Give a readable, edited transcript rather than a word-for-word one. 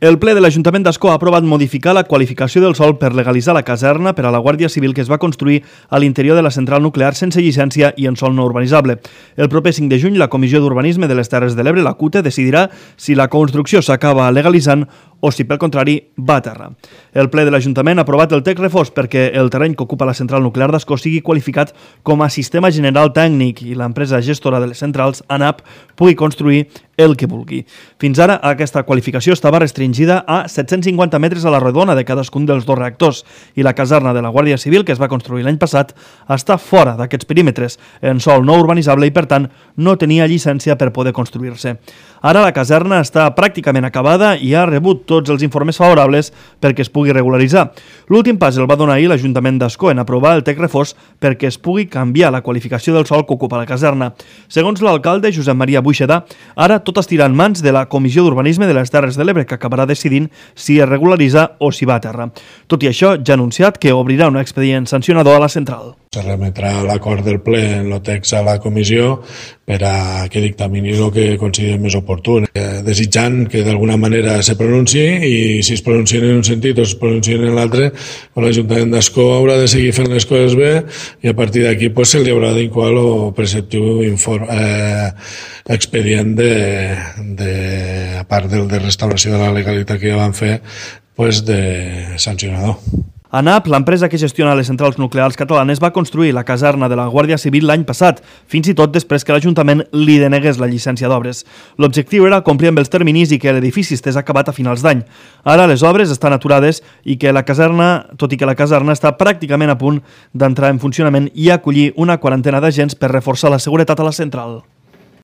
El ple de l'Ajuntament d'Ascó ha aprovat modificar la qualificació del sòl per legalitzar la caserna per a la Guàrdia Civil que es va construir a l'interior de la central nuclear sense llicència i en sòl no urbanitzable. El proper 5 de juny, la Comissió d'Urbanisme de les Terres de l'Ebre, la CUTE, decidirà si la construcció s'acaba legalitzant o si, pel contrari, va a terra. El ple de l'Ajuntament ha aprovat el text refós perquè el terreny que ocupa la central nuclear d'Ascó sigui qualificat com a sistema general tècnic i l'empresa gestora de les centrals, ANAP, pugui construir el que vulgui. Fins ara, aquesta qualificació estava restringida a 750 metres a la redona de cadascun dels dos reactors i la caserna de la Guàrdia Civil, que es va construir l'any passat, està fora d'aquests perímetres, en sòl no urbanitzable i, per tant, no tenia llicència per poder construir-se. Ara la caserna està pràcticament acabada i ha rebut tots els informes favorables perquè es pugui regularitzar. L'últim pas el va donar ahir l'Ajuntament d'Ascó en aprovar el text refós perquè es pugui canviar la qualificació del sòl que ocupa la caserna. Segons l'alcalde Josep Maria Buixedà, ara tot estirà en mans de la Comissió d'Urbanisme de les Terres de l'Ebre, que acabarà decidint si es regularitza o si va a terra. Tot i això, ja ha anunciat que obrirà un expedient sancionador a la central. Se remetrà l'acord del ple en el text a la comissió per a que dictamini el que consideri més oportú, desitjant que d'alguna manera se pronunciï i si es pronuncien en un sentit o es pronuncien en l'altre, l'Ajuntament d'Ascó haurà de seguir fent les coses bé i a partir d'aquí se li haurà d'incoar el preceptiu expedient a part del de restauració de la legalitat que ja van fer, de sancionador. ANAP, l'empresa que gestiona les centrals nuclears catalanes, va construir la caserna de la Guàrdia Civil l'any passat, fins i tot després que l'Ajuntament li denegués la llicència d'obres. L'objectiu era complir amb els terminis i que l'edifici estés acabat a finals d'any. Ara les obres estan aturades i que la caserna, tot i que la caserna està pràcticament a punt d'entrar en funcionament i acollir una quarantena d'agents per reforçar la seguretat a la central.